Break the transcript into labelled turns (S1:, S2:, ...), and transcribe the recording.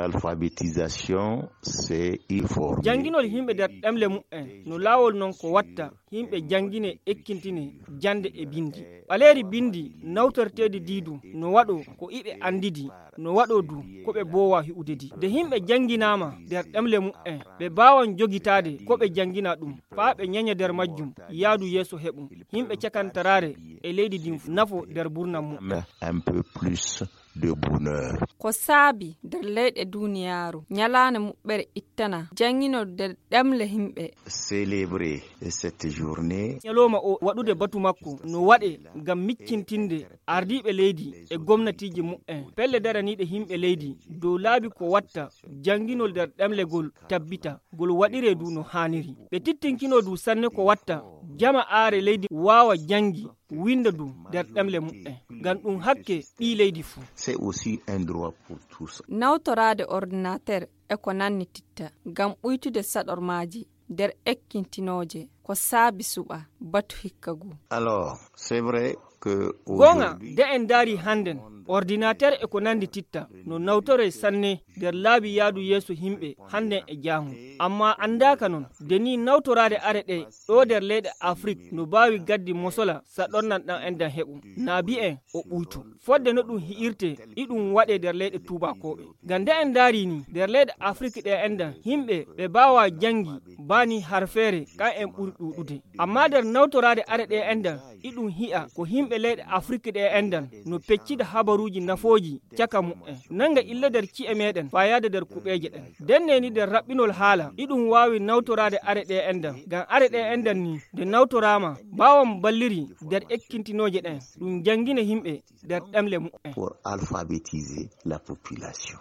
S1: l'alphabétisation, c'est informer.
S2: Janginol himɓe nder ɗemle mu'en no laawol non ko watta himɓe jangine ekkintine jande e bindi. Ɓaleeri bindi nawtorteedi diidu no waɗo ko iɓe andidi no waɗo du ko ɓe bowa hi'udedi. De himɓe janginama nder ɗemle mu'en ɓe bawan jogitaade ko ɓe jangina ɗum faa ɓe nyanya nder majjum yaadu yeeso heɓum himɓe cakantarare e leydi din nafo nder burnan mu'en.
S1: Un peu plus de bonheur.
S3: Ko saabi nder leyɗe duniyaaru nyalaande muɓɓere ittana janginol nder ɗemle himɓe.
S1: Célébrer cette journée.
S2: Nyaloma o waɗude batu makko no waɗe ngam miccintinde ardiɓe leydi e gomnatiji mu'en pelle daraniɗe himɓe leydi dow laabi ko watta janginol nder ɗemlegol tabbita gol waɗire du no haniri. Ɓe tittinkino du sanne ko watta jama aare leydi wawa jangi winda du nder ɗemle mu'en ngam ɗum hakke ɓi leydi fuu.
S1: C'est aussi un droit pour tous.
S3: Nawtorade ordinateur e ko nanni titta ngam ɓuytude saɗormaji nder ekkintinoje ko saabi suɓa batu hikkagu.
S1: Alors, c'est vrai que
S2: gonga de en daari handen ordinateur e ko nandi titta no nawtore sanne nder laabi yaadu yeeso himɓe handen e jaamu amma andaka non de ni nawtorade are ɗe ɗo nder leyɗe Afrique no baawi gaddi mosola saɗornan ɗan endan heɓum naabi en o ɓuytu fodde no ɗum hi'irte ɗiɗum waɗe nder leyɗe tubakoɓe ngam de en daari ni nder leyɗe Afrique ɗe endan himɓe ɓe bawa jangi bani har feere kan en ɓuri ɗuɗude amma nder nawtorade are ɗe endan ɗiɗum hi'a ko himɓe leyɗe Afrique ɗe endan no peccida habaruji nafoji caka mu'en nanga illa nder ci'e meɗen fayade nder kuɓeje ɗen denneni nder raɓɓinol haala ɗiɗum wawi nawtorade are ɗe endan ngam are ɗe endan ni nde nawtorama bawam balliri nder ekkintinoje ɗen ɗum jangine himɓe nder ɗemle mu'en
S1: pour alphabétiser la population.